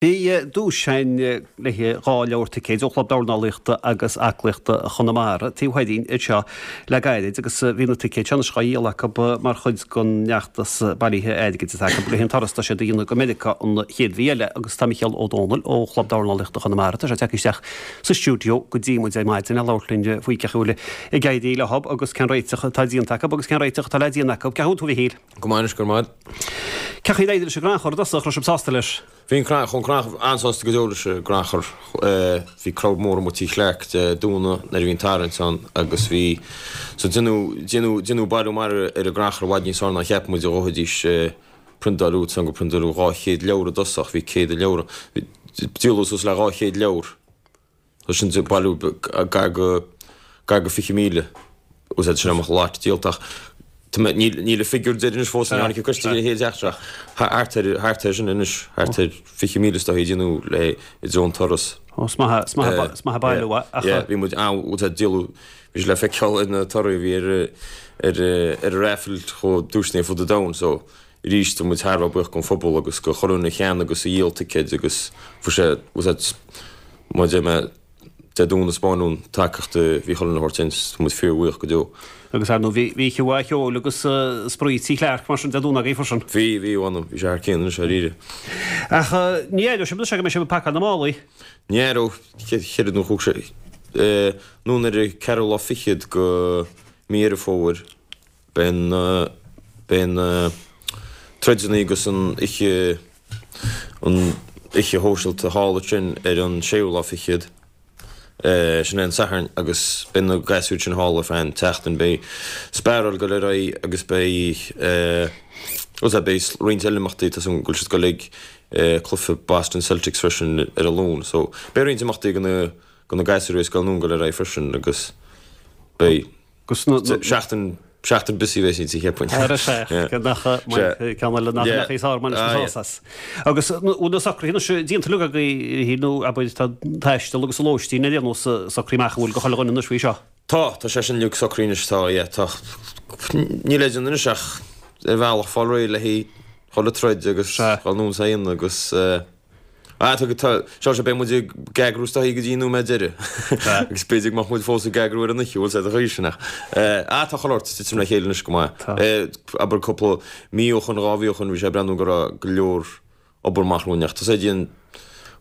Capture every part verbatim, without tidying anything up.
Bhí duais againn le dhá leabhar ticéid ó Chlub Dornálaíochta agus Aclaíochta Chonamara Taobh Thoir anseo le gairid agus bhí na ticéid seo anois á dhíol acu mar chuid den fheachtas bailithe airgid atá acu le haghaidh an turas atá siad a dhéanamh go Meiriceá an chéad mhí eile agus tá Micheál Ó Dónaill ó Chlub Dornálaíochta Chonamara tá sé tagtha isteach sa stiúideo go dtí muid ar maidin le labhairt linn faoi cén chaoi a bhfuil ag éirí leo agus cén réiteach atá déanta acu agus cén réiteach atá le déanamh acu. Cén chaoi a bhfuil tú a Mhichíl? Go maith anois go maith. Cén chaoi ar éirigh leis an gcrannchur i dtosach, raibh sibh sásta leis? Bhí an crannchur an-sásta go deo leis an gcrannchur. Bhí crowd mór amuigh Tigh Chlarke Dé Domhnaigh nuair a bhí an tarraingt ann agus bhí so déanadh déanadh déanadh bailiú maith ar an gcrannchur i bhfad níos fearr ná cheap muid a ghabhfaidís priontáil san go priontáladh dhá chéad leabhar i dtosach bhí céad leabhar díoladh suas le dhá chéad leabhar. So sin bailiú gar go gar go fiche míle úsáid sin amach lot díolta ach níl níl an figiúr deiridh anois fós ní tháinig an coiste le chéile ach thart ar thart ar sin anois thart ar fiche míle is dóichí déanadh le i dtreo an turas. Ó is maith is maith is maith bailiú ach Yeah, bhí muid an úsáid díoladh bhí sé le feiceáil ar na torthaí a bhí ar ar ar an raffle chomh duaiseanna fud an domhain so arís tá muid thar a bheith buíoch don phobal agus go chuile dhuine a cheannaigh agus a dhíol ticéid agus fuair sé úsáid má deir mé Dé Domhnaigh spáin an tacaíocht a bhí chuile dhuine a thabhairt tá muid fíorbhuíoch go deo. Agus ar ndóigh bhí bhí oíche mhaith cheoil agus spraoi Tigh Chlarke mar sin Dé Domhnaigh agaibh freisin. Bhí bhí bhí bhí sé thar cionn anois dáiríre. Ach ní éireoidh sibh anois go mbeidh sibh ag pacáil na málaí. Ní éireoidh cheithre nó chúig sé anonn ar an ceathrú lá fichead go mí Dheireadh Fómhair beidh an beidh an troideanna agus an oíche an oíche shóisialta thall ansin ar an séú lá fichead. Sin é an Satharn agus beidh na gasúir sin thall ar feadh an tseachtain. Beidh sparáil ag dul ar aghaidh agus beidh bhuel beidh roinnt eile imeachtaí tá súil go bhfuil siad ag dul ag cluiche Boston Celtics freisin ar an Luan. So beidh roinnt imeachtaí go na go na gasúir ag dul anonn ag dul ar aghaidh freisin agus beidh Agus na seachtain seachtain busy bheidh sí cheapfainn. Ar sé nach ceann eile nach nach sár mar is. Agus bhfuil na socruithe anois déanta uilig agaibh nó abair tá taisteal agus lóistín ar aon nós socraithe amach an bhfuil go chuile dhuine anois faoi seo. Tá tá sé sin uilig socraithe anois tá yeah tá níl le déanamh anois ach ar bhealach fáil réidh le haghaidh chuile troid agus dhul anonn is aon agus ah tá tá seo sé beidh muid ag eagrú is dóichí go dtí an nóiméad deiridh agus b'fhéidir go mbeadh muid fós ag eagrú ar an oíche bhfuil sé de chaoi sin ach ah tá chuile shórt ag titim le chéile anois go maith. Abair cúpla mí ó shoin dhá mhí ó shoin bhí sé ag breathnú go raibh go leor obair amach romhainn ach tá sé dian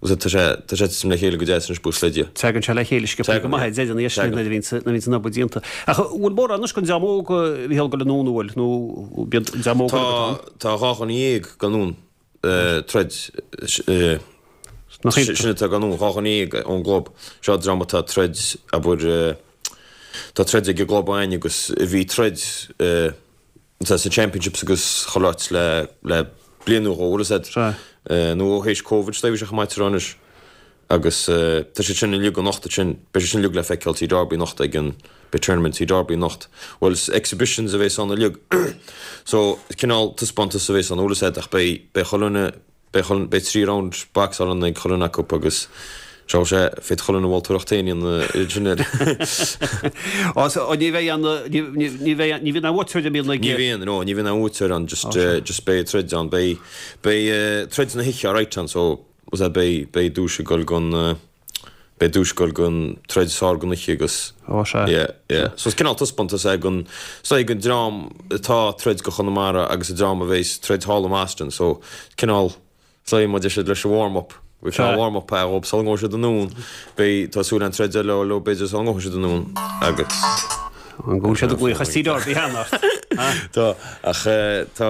tá sé tá sé ag titim le chéile go deas anois buíochas le Dia. Tagann sé le chéile sciobtha go maith deireadh na nuair a bhíonn nuair a bhíonn an obair déanta. Ach bhfuil mórán anois den dream óg a bhí ag dul anonn an bhfuil nó bíonn dream óg Tá tá dhá dhuine dhéag ag dul anonn troid sin atá ag dul anonn dhá dhuine dhéag ón gclub seo dream atá ag troid abair tá troid ag an gclub againn agus a bhí troid sa championships agus chuile áit le le bliain nó dhó bhfuil a fhios agat nó ó théis Covid is dóigh bhí sé chomh maith tráth anois agus tá siad sin uilig anocht ansin beidh siad sin uilig le feiceáil Tigh Darby anocht ag an beidh tournament Tigh Darby anocht bhuel is exhibitions a bheas ann uilig so cineál taispeántas a bheas ann bhfuil a fhios agat ach beidh beidh chuile dhuine beidh chuile beidh trí round boxáil ann ag chuile dhuine acu agus seo sé féadfaidh chuile dhuine moltóireacht féin a dhéanamh sin air. Ó so ní bheidh an ní ní bheidh ní bhíonn aon bhuaiteoir a mbíonn ag Ní bhíonn no ní bhíonn aon bhuaiteoir ann just just beidh troid ann beidh beidh troid na hoíche alright ann so was that beidh beidh duais ag dul gon beidh duais ag dul gon troid is fearr gon oíche agus Ó sea. yeah yeah so is cineál taispeántas é gon so ag an dream atá ag troid go Chonamara agus an dream a bheas ag troid thall i mBoston so cineál so muid siad leis an warm up bhí Sea. warm up é dhóibh sula ngabhfaidh siad anonn beidh tá súil an troid eile leo b'fhéidir sula ngabhfaidh siad anonn agus An gcúl siad ag glaoch as Tigh Darby cheana ort. Tá ach eh, tá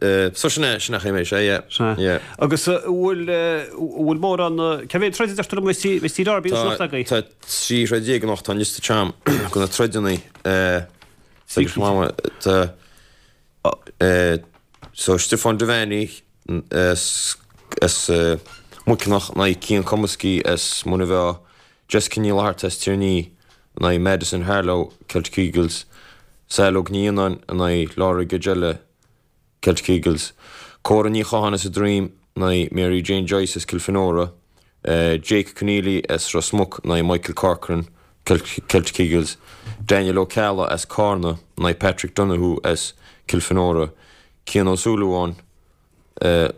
eh, so sin é sin é mé sé yeah Sea. yeah. Agus uh, bhfuil uh, bhfuil mórán uh, cé mhéad troid a deir tú liom bheas bheas Tigh Darby Tá anocht agaibh? tá trí throid déag anocht tá an liosta agam go na troideanna eh, agus mama tá eh, so Stefan Devaney as as uh, Muiceanach in aghaidh Cian Comiskey as Muine Mheá Jessica Ní Fhlatharta as Tír an Fhia in aghaidh Madison Harlow Celtic Eagles Saileog Ní Fhionnáin in aghaidh Laura Gagella Celtic Eagles Cora Ní Chatháin as an Droim in aghaidh Mary Jane Joyce as Kilfenora uh, Jake Keneally as Ros Muc in aghaidh Michael Corcoran Celtic, Celtic Eagles Daniel O'Calla as Carna in aghaidh Patrick Donoghue as Kilfenora Cian Ó Súilleabháin uh,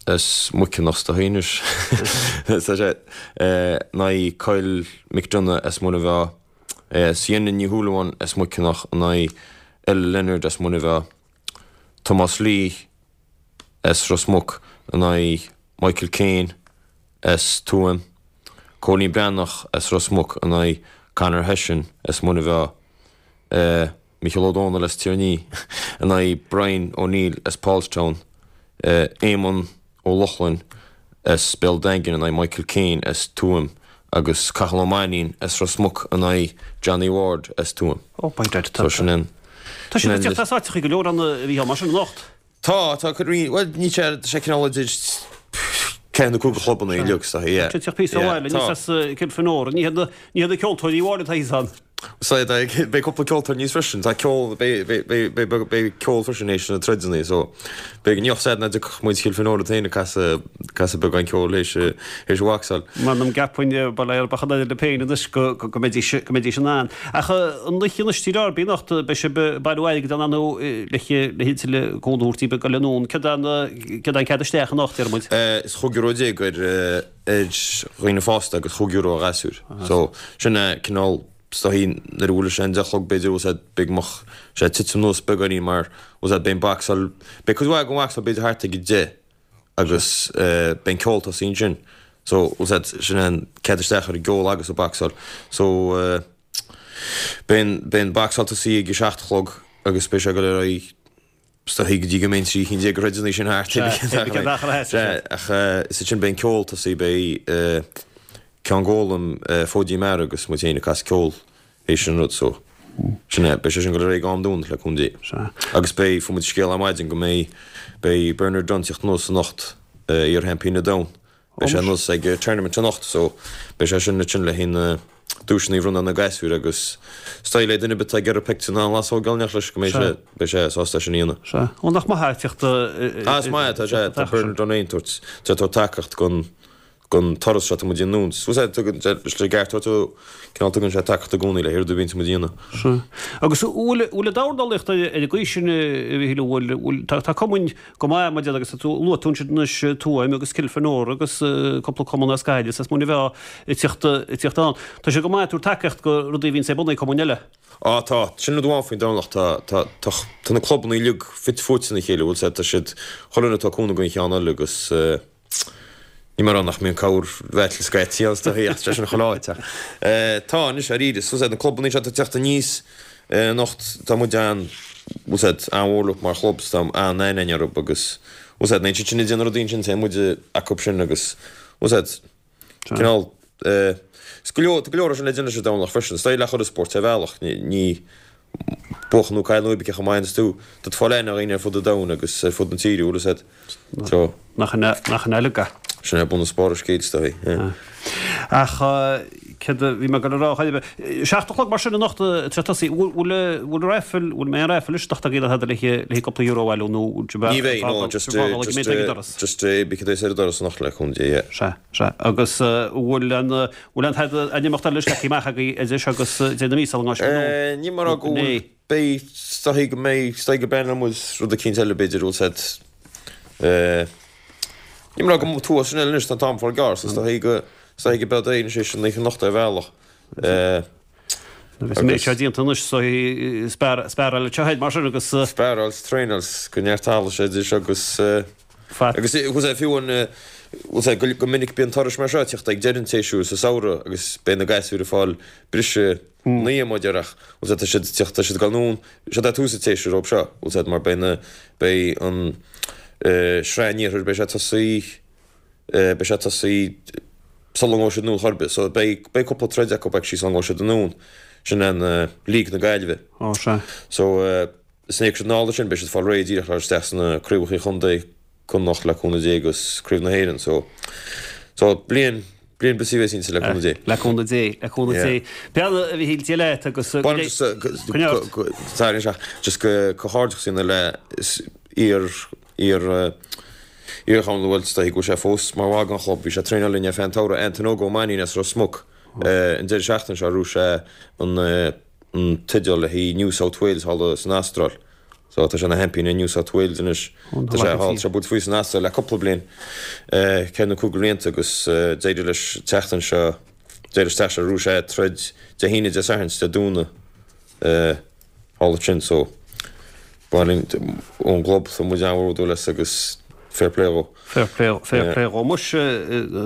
as Muiceanach tá héis sé in aghaidh Kyle McDonough as Muine Mheá, Sienna Ní Shúilleabháin as Muiceanach in aghaidh Ella Leonard as Muine Mheá, Thomas Lee as Ros Muc in aghaidh Michael Kane as Tuaim, Cóilín Breathnach as Ros Muc in aghaidh Conor Hession as Muine Mheá, Micheál Ó Domhnaill as Tír an Fhia in aghaidh Brian O'Neill as Paulstown, Éamonn Ó Lochlainn as Béal Daingin in aghaidh Michael Kane as Tuaim agus Cathal Ó Mainnín as Ros Muc in aghaidh Johnny Ward as Tuaim. Ó, by dad, tá. So sin an. Tá siad ag teacht as áiteacha go leor ann a Mhícheáil, mar sin anocht. Tá, tá cuid rí, bhuel ní sé, tá sé cineál idir ceithre nó cúig de chlubanna uilig, so yeah. Tá teacht píosa Yeah, abhaile, tá. níos as Cill Fionóra, ní hiad na, ní hiad na ceoltóirí amháin atá thíos ann. So beidh cúpla ceoltóir aníos freisin, tá ceol, beidh, beidh, beidh, beidh, beidh ceol freisin théis na troideanna, so beidh, ní bheadh ná dtiocfadh muid Chill Fionóra féin ag casadh, casadh beagán ceoil théis, théis an bhocsáil. M'anam gceapfainn, bail ó Dhia ar bachan eile le féin anois go, go, go mbeidís, go mbeidís in ann. Ach an oíche anois tí Derby anocht, beidh sibh ag bailiú airgid ann nó le, le tuilleadh cúnamh a thabhairt daoibh ag dul anonn. Céard an, céard an cead isteach anocht, deir muid? Is chúig euro déag ar, ar dhaoine fásta agus chúig euro ar ghasúir. So sin é cineál is dóichí nuair a bhuailfidh sé an deich a chlog b'fhéidir bhfuil sé beidh mbeadh sé ag titim anuas beagáinín mar bhfuil sé beidh an bocsáil beidh cuid mhaith den bhocsáil b'fhéidir thart ag a deich agus beidh an ceol tosaithe ansin so bhfuil sé sin an cead isteach ar an gceol agus an bocsáil so beidh an beidh an bocsáil tosaithe ag a seacht a chlog agus beidh sé ag dul ar aghaidh is dóichí go dtí go mbeidh an trí cinn déag de throideanna sin thart ach is ansin beidh an ceol tosaithe beidh Ceann Gólaim, Fóidín Meara agus muid féin ag casadh ceoil théis an rud so sin é, beidh sé sin ag dul ar aghaidh go am dúnadh le cúnamh Dé. Agus beidh, fuair muid scéal ar maidin go mbeidh, beidh Bernard Dunne teacht anuas anocht, iar-sheaimpín an domhain, beidh sé anuas ag tournament anocht so beidh sé sin ansin le haghaidh na duaiseanna a bhronnadh ar na gasúir agus is dóigh le duine ar bith atá ag iarraidh pictiúr ná an lasóg a fháil leis go mbeidh sé, beidh sé sásta é sin a dhéanamh. Sea. Ó nach maith é teacht Ah is maith é, tá sé, tá Bernard Dunne ag tabhairt, tá tabhairt tacaíocht don don turas seo atá muid a dhéanamh. Is é tugann sé leis an gceart tú, cineál tugann sé tacaíocht i gcónaí le rud a bhíonns muid a dhéanamh. Sea. Agus an bhfuil, bhfuil an dornálaíocht ar an gcaoi sin, a Mhíchíl, an bhfuil, bhfuil, tá, tá cumainn go maith mar agus tú, luaigh tú ansin anois Tuaim agus Cill Fionóra agus cúpla cumann as Gaillimh is as Muine Mheá ag tíocht, ag tíocht ann. Tá sé go maith ag tabhairt tacaíocht go rudaí a bhíonns ar bun ag cumainn eile. Á tá, sin rud amháin faoin dornálaíocht, tá, tá, tá, tá na clubanna uilig fite fuaite ina chéile, bhfuil 's a'd, tá siad, chuile dhuine atá cúnamh don cheann eile agus eh, Ní mar nach mbíonn corr-bhattle scaití ann is dóichí ach tá sé sin chuile áit ach tá anois dáiríre is bhfuil 's a'd na clubanna seo atá ag teacht aníos anocht tá muid an bhfuil 's a'd an-mhór leo mar chlub is tá an-aithne againn orthu agus bhfuil 's a'd nuair sin ag déanamh rudaí ansin téann muid acu sin agus bhfuil 's a'd cineál is go leor tá go leor sin le déanamh leis an dornálaíocht freisin is dóigh le chuile spórt ar bhealach ní buachan nó cailleadh nó cibé cé chomh maith is tú tá tú ag fáil aithne ar dhaoine ar fud an domhain agus ar fud na tíre bhfuil 's a'd so Nach in nach in uilig é. Sin é bunús barr an scéil is dóigh yeah. Ach céard a bhí mé ag dul a rá chor ar bith. Seacht a chlog mar sin anocht tar tosaí bhfuil bhfuil raffle bhfuil mé an raffle anois anocht agaibh le tada le le cúpla euro a bhailiú nó Ní bheidh no just just just bí cad é ar an doras anocht le cúnamh Dé yeah. Sea sea agus bhfuil an bhfuil an tada an imeacht eile leagtha amach agaibh idir seo agus deireadh na míosa an ngáis Ní mar go bhfuil beidh is dóichí go mbeidh is dóichí go bpleanálann muid rud eicínt eile b'fhéidir bhfuil 's a'd ní mar go tú sin eile anois tá an t-am fáil gearr so is dóichí go is dóichí go beidh aon sé sin oíche anocht ar bhealach. Agus an méid seo déanta anois so spearáil anseo féin mar sin agus. Spearáil 's traenáil 's go neart sé idir seo agus agus bhfuil 's a'd fiú an bhfuil 's a'd go minic bíonn turais mar seo ag teacht ag deireadh an tséasúir sa samhradh agus beidh na gasúir ag fáil briseadh naoi mar a déarfá ach bhfuil 's a'd tá siad ag teacht tá siad ag dul anonn seo é tús an tséasúir dóibh seo bhfuil 's a'd mar beidh na beidh an sraith an iarthair beidh sé tosaí beidh sé tosaí sula ngabhfaidh siad anonn chor ar bith. So beidh, beidh cúpla troid acu actually sula ngabhfaidh siad anonn. Sin an League na Gaillimhe. Ó, sea. So is nuair a thiocfaidh siad anall ansin beidh siad ag fáil réidh díreach le isteach sna craobhacha chontae Connacht le cúnamh Dé agus Craobh na hÉireann. So, so bliain, bliain busy a bheas inti le cúnamh Dé. Le cúnamh Dé, le cúnamh Yeah. Dé. Beanna a Mhichíl Dia leat agus go Bainim just, go, Coinneáil ort. go, sorry, anseo, just go, comhghairdeachas a dhéanamh le iar, iar, Iar-chamán bhuel is dóichí go bhfuil sé fós mar bhall den chlub. Bhí sé ag traenáil linn ar feadh an tsamhraidh, Anton Óg Ó Mainnín as Ros Muc. An deireadh seachtaine seo ghnóthaigh sé an teideal le haghaidh New South Wales thall san Astráil. So tá sé ina sheaimpín i New South Wales anois. Tá sé thall, tá sé buaite faoi san Astráil le cúpla bliain, ceithre nó cúig blianta agus d'éirigh leis an tseachtain seo, d'éirigh leis teacht anseo arís é troid Dé hAoine, Dé Sathairn is Dé Domhnaigh thall ansin so ba linn ón gclub tá muid an-bhródúil as agus fair play dhó. Fair play, fair play dhó. Muis,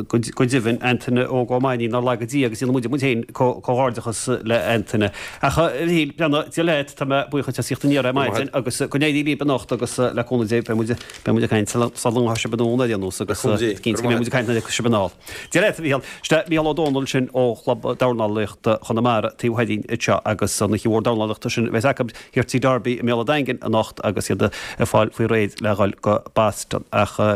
go deimhin, Antaine Óg Ó Mainnín, nár laga Dia agus déanann muide muid féin comhghairdeachas le Antaine. Ach, a Mhichíl, breathnaigh, Dia leat, tá mé buíoch duit as theacht aniar ar maidin agus go n-éirí libh anocht agus le cúnamh Dé beidh muid, beidh muid ag caint sula ngabhfaidh sibh anonn ar aon nós agus cinnte go mbeidh muid ag caint nuair a thiocfas sibh anall. Dia leat, a Mhichíl. Sin é Mícheál Ó Domhnaill sin ó Chlub Dornálaíochta Chonamara taobh thoir dínn anseo agus an oíche mhór dornálaíochta sin a bheas acu thiar Tigh Darby i mBéal an Daingin anocht agus iad ag fáil faoi réir le dhul go Boston. Ach.